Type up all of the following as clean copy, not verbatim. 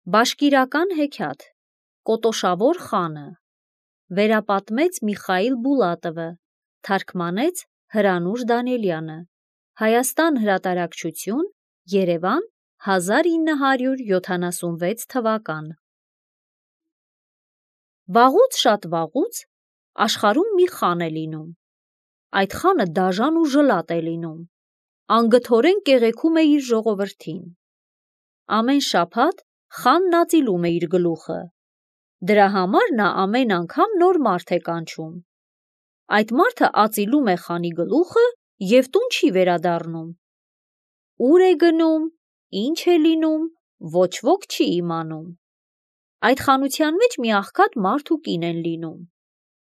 Բաշկիրական հեքիաթ Կոտոշավոր խանը վերապատմեց Միխայիլ Բուլատովը, թարգմանեց Հրանուշ Դանիելյանը, Հայաստան հրատարակչություն, Երևան 1976 թվական։ Վաղուց շատ վաղուց աշխարհում մի խան է լինում։ Այդ խանը դաժան ու ժլատ է լինում, անգթորեն կեղեքում է իր ժողովրդին։ Ամեն շաբաթ խանն ածիլում է իր գլուխը, դրա համար նա ամեն անգամ նոր մարդ է կանչում։ Այդ մարդը ածիլում է խանի գլուխը և տուն չի վերադառնում։ Ուր է գնում, ինչ է լինում, ոչ ոք չի իմանում։ Այդ խանության մեջ մի աղքատ մարդ ու կին են լինում։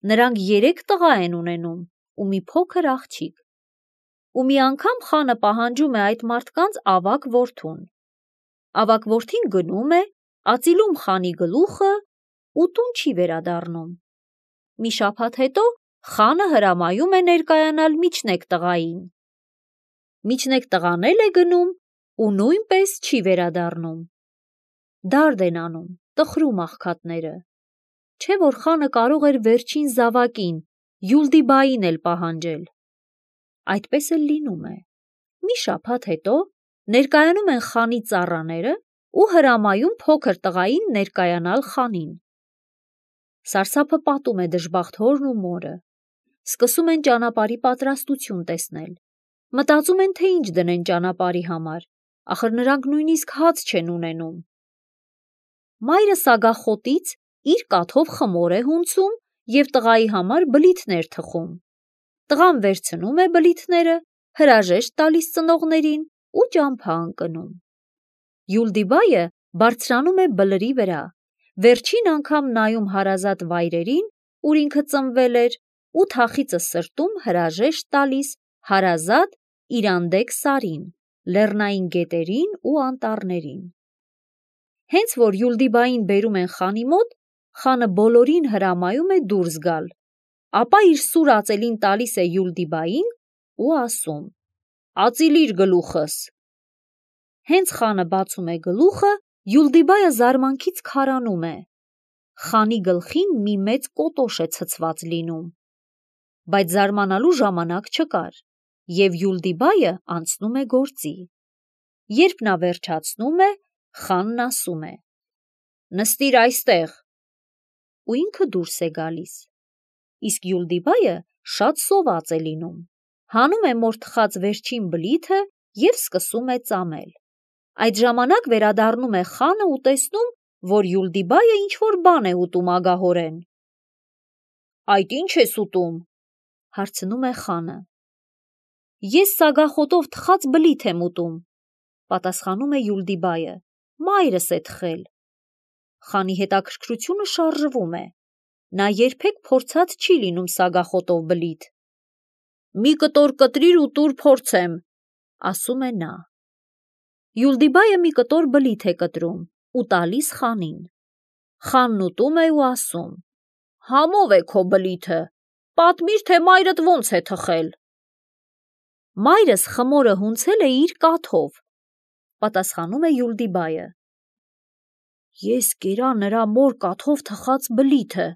Նրանք 3 տղա են ունենում ու մի փոքր աղջիկ։ Ու մի անգամ խանը պահանջում է այդ մարդկանց ավագ որդուն։ Ավագ որդին գնում է, ածիլում խանի գլուխը ու տուն չի վերադառնում։ Մի շաբաթ հետո խանը հրամայում է ներկայանալ միջնեկ տղային։ Միջնեկ տղան էլ է գնում ու նույնպես չի վերադառնում։ Դարդ են անում, տխրում աղքատները։ Չէ՞ որ խանը կարող էր վերջին զավակին, Յուլդիբային էլ պահանջել։ Այդպես էլ լինում է։ Մի շաբաթ հետո ներկայանում են խանի ծառաները ու հրամայում փոքր տղային ներկայանալ խանին։ Սարսափը պատում է դժբախտ հորն ու մորը։ Սկսում են ճանապարհի պատրաստություն տեսնել։ Մտածում են, թե ինչ դնեն ճանապարհի համար, ախր նրանք նույնիսկ հաց չեն ունենում։ Մայրը սագախոտից իր կաթով խմոր է հունցում և տղայի համար բլիթներ թխում։ Տղան վերցնում է բլիթները, հրաժեշտ տալիս ծնողներին ու ճամփա ընկնում։ Յուլդիբայը բարձրանում է բլրի վրա, վերջին անգամ նայում հարազատ վայրերին, ուր ինքը ծնվել էր, ու թախիծը սրտում հրաժեշտ տալիս հարազատ Իրանդեկ սարին, լեռնային գետերին ու անտառներին։ Հենց որ Յուլդիբային բերում են խանի մոտ, խանը բոլորին հրամայում է դուրս գալ, ապա իր սուր ածելին տալիս է Յուլդիբային ու ասում. «Ածիլիր գլուխս»։ Հենց խանը բացում է գլուխը, Յուլդիբայը զարմանքից քարանում է։ Խանի գլխին մի մեծ կոտոշ է ցցված լինում։ Բայց զարմանալու ժամանակ չկար, և Յուլդիբայը անցնում է գործի։ Երբ նա վերջացնում է, խանն ասում է. «Նստիր այստեղ», ու ինքը դուրս է գալիս։ Իսկ Յուլդիբայը շատ սոված է լինում, հանում է մոր թխած վերջին բլիթը և սկսում է ծամել։ Այդ ժամանակ վերադառնում է խանը ու տեսնում, որ Յուլդիբայը ինչ-որ բան է ուտում ագահորեն։ «Այդ ի՞նչ ես ուտում», հարցնում է խանը։ «Ես սագախոտով թխած բլիթ եմ ուտում», պատասխանում է Յուլդիբայը, «մայրս է թխել»։ Խանի հետաքրքրությունը շարժվում է։ Նա երբեք փորձած չի լինում սագախոտով բլիթ։ «Մի կտոր կտրիր ու տուր փորձեմ», ասում է նա։ Յուլդիբայը մի կտոր բլիթ է կտրում ու տալիս խանին։ Խանն ուտում է ու ասում. «Համով է քո բլիթը, պատմիր, թե մայրդ ոնց է թխել»։ «Մայրս խմորը հունցել է իր կաթով», պատասխանում է Յուլդիբայը։ «Ես կերա նրա մոր կաթով թխած բլիթը»,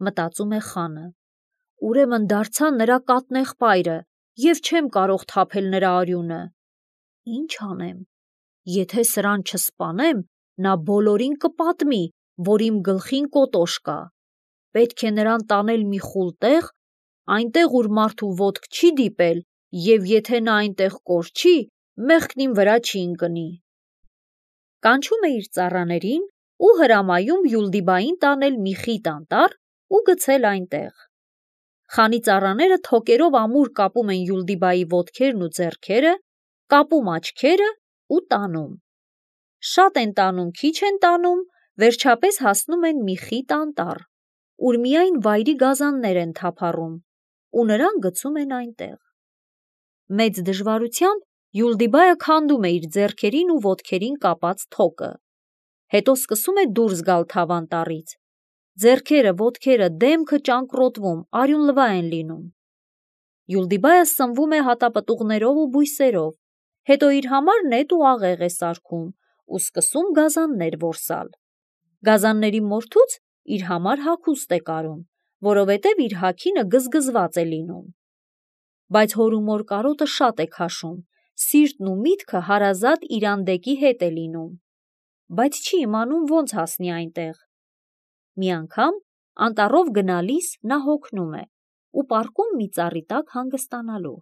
մտածում է խանը։ «Ուրեմն դարձա նրա կաթնեղբայրը և չեմ կարող թափել նրա արյունը։ Ինչ անեմ, եթե սրան չսպանեմ, նա բոլորին կպատմի, որ իմ գլխին կոտոշ կա։ Պետք է նրան տանել մի խուլ տեղ, այնտեղ, ուր մարդու ոտք չի դիպել, և եթե նա այնտեղ կորչի, մեղքն իմ վրա չի ընկնի»։ Կանչում է իր ծառաներին ու հրամայում Յուլդիբային տանել մի խիտ անտառ ու գցել այնտեղ։ Խանի ծառաները թոկերով ամուր կապում են Յուլդիբայի ոտքերն ու ձեռքերը, կապում աչքերը ու տանում։ Շատ են տանում, քիչ են տանում, վերջապես հասնում են մի խիտ անտառ, ուր միայն վայրի գազաններ են թափառում, ու նրան գցում են այնտեղ։ Մեծ դժվարությամբ Յուլդիբայը քանդում է իր ձեռքերին ու ոտքերին կապած թոկը։ Հետո սկսում է դուրս գալ թավանտառից։ Ձեռքերը, ոտքերը, դեմքը ճանկռոտվում, արյունլվա են լինում։ Յուլդիբայը սնվում է հատապտուղներով ու բույսերով, հետո իր համար նետ ու աղեղ է սարքում ու սկսում գազաններ որսալ։ Գազանների մորթուց իր համար հագուստ է կարում, որովհետև իր հագինը գզգզված է լինում։ Բայց հորումոր կարոտը շատ է քաշում, սիրտն ու միտքը հարազատ Իրանդեկի հետ է լինում, բայց չի իմանում ոնց հասնի այնտեղ։ Մի անգամ անտառով գնալիս նա հոգնում է ու պառկում մի ծառի տակ հանգստանալու։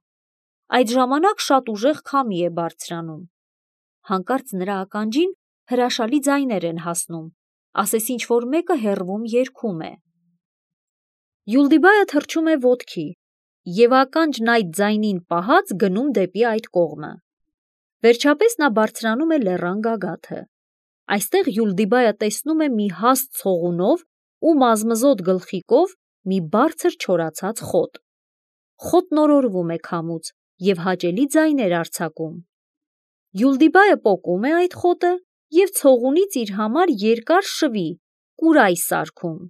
Այդ ժամանակ շատ ուժեղ քամի է բարձրանում։ Հանկարծ նրա ականջին հրաշալի ձայներ են հասնում, ասես ինչ-որ մեկը հեռվում երգում է։ Յուլդիբայը թռչում է ոտքի և ականջն այդ ձայնին պահած գնում դեպի այդ կողմը։ Վերջապես նա բարձրանում է լեռան գագաթը։ Այստեղ Յուլդիբայը տեսնում է մի հաստ ցողունով ու մազմզոտ գլխիկով մի բարձր չորացած խոտ։ Խոտն օրորվում է քամուց և հաճելի ձայներ արձակում։ Յուլդիբայը պոկում է այդ խոտը և ցողունից իր համար երկար շվի կուրայ սարքում։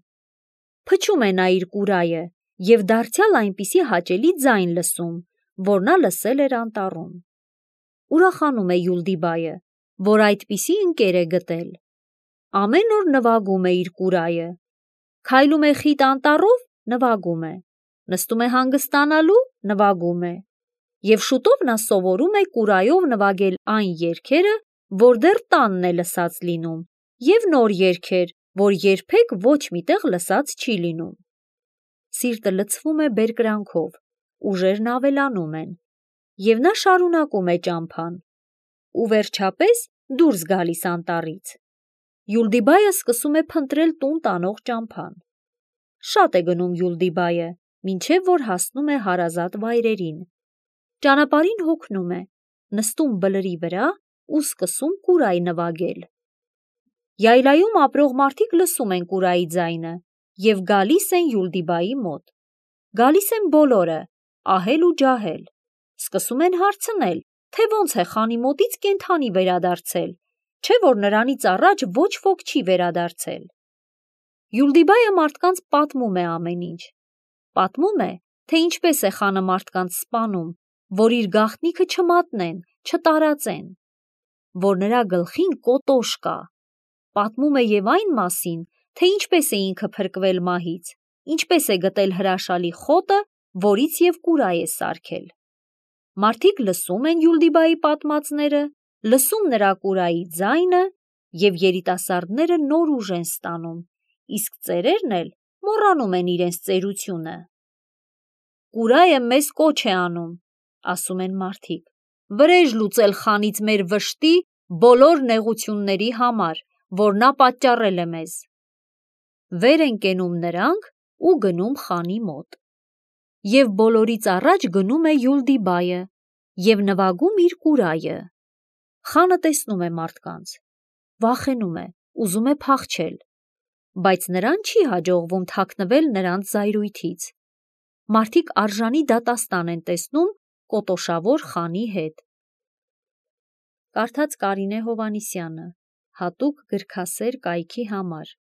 Փչում է նա իր կուրայը և դարձյալ այնպիսի հաճելի ձայն լսում, որ նա լսել էր անտառում։ Ուրախանում է Յուլդիբայը, որ այդպիսի ընկեր է գտել։ Ամեն օր նվագում է իր կուրայը, քայլում է խիտ անտառով, նվագում է, նստում է հանգստանալու, նվագում է, և շուտով նա սովորում է կուրայով նվագել այն երգերը, որ դեռ տանն է լսած լինում, և նոր երգեր, որ երբեք ոչ մի տեղ լսած չի լինում։ Սիրտը լցվում է բերկրանքով, ուժերն ավելանում են, և նա շարունակում է ճամփան ու վերջապես դուրս գալիս անտառից։ Յուլդիբայը սկսում է փնտրել տուն տանող ճամփան։ Շատ է գնում Յուլդիբայը, մինչև որ հասնում է հարազատ վայրերին։ Ճանապարհին հոգնում է, նստում բլրի վրա ու սկսում կուրայ նվագել։ Յայլայում ապրող մարդիկ լսում են կուրայի ձայնը և գալիս են Յուլդիբայի մոտ։ Գալիս են բոլորը, ահել ու ջահել։ Սկսում են հարցնել, թե ոնց է խանի մոտից կենդանի վերադարձել, չէ որ նրանից առաջ ոչ ոք չի վերադարձել։ Յուլդիբայը մարդկանց պատմում է ամեն ինչ։ Պատմում է, թե ինչպես է խանը մարդկանց սպանում, որ իր գաղտնիքը չմատնեն, չտարածեն, որ նրա գլխին կոտոշ կա։ Պատմում է և այն մասին, թե ինչպես է ինքը փրկվել մահից, ինչպես է գտել հրաշալի խոտը, որից և կուրայ է սարքել։ Մարդիկ լսում են Յուլդիբայի պատմածները, լսում նրա կուրայի ձայնը, և երիտասարդները նոր ուժ են ստանում, իսկ ծերերն էլ մոռանում են իրենց ծերությունը։ Կուրայը մեզ կոչ է անում, ասում են մարդիկ, վրեժ լուծել խանից մեր վշտի բոլոր նեղությունների համար, որ նա պատճառել է մեզ։ Վեր են կենում նրանք ու գնում խանի մոտ։ Եվ բոլորից առաջ գնում է Յուլդիբայը և նվագում իր կուրայը։ Խանը տեսնում է մարդկանց, վախենում է, ուզում է փախչել, բայց նրան չի հաջողվում թաքնվել նրանց զայրույթից։ Մարդիկ արժանի դատաստան են տեսնում կոտոշավոր խանի հետ։ Կարդաց Կարինե Հովհաննիսյանը, հատուկ գրքասեր կայքի համար։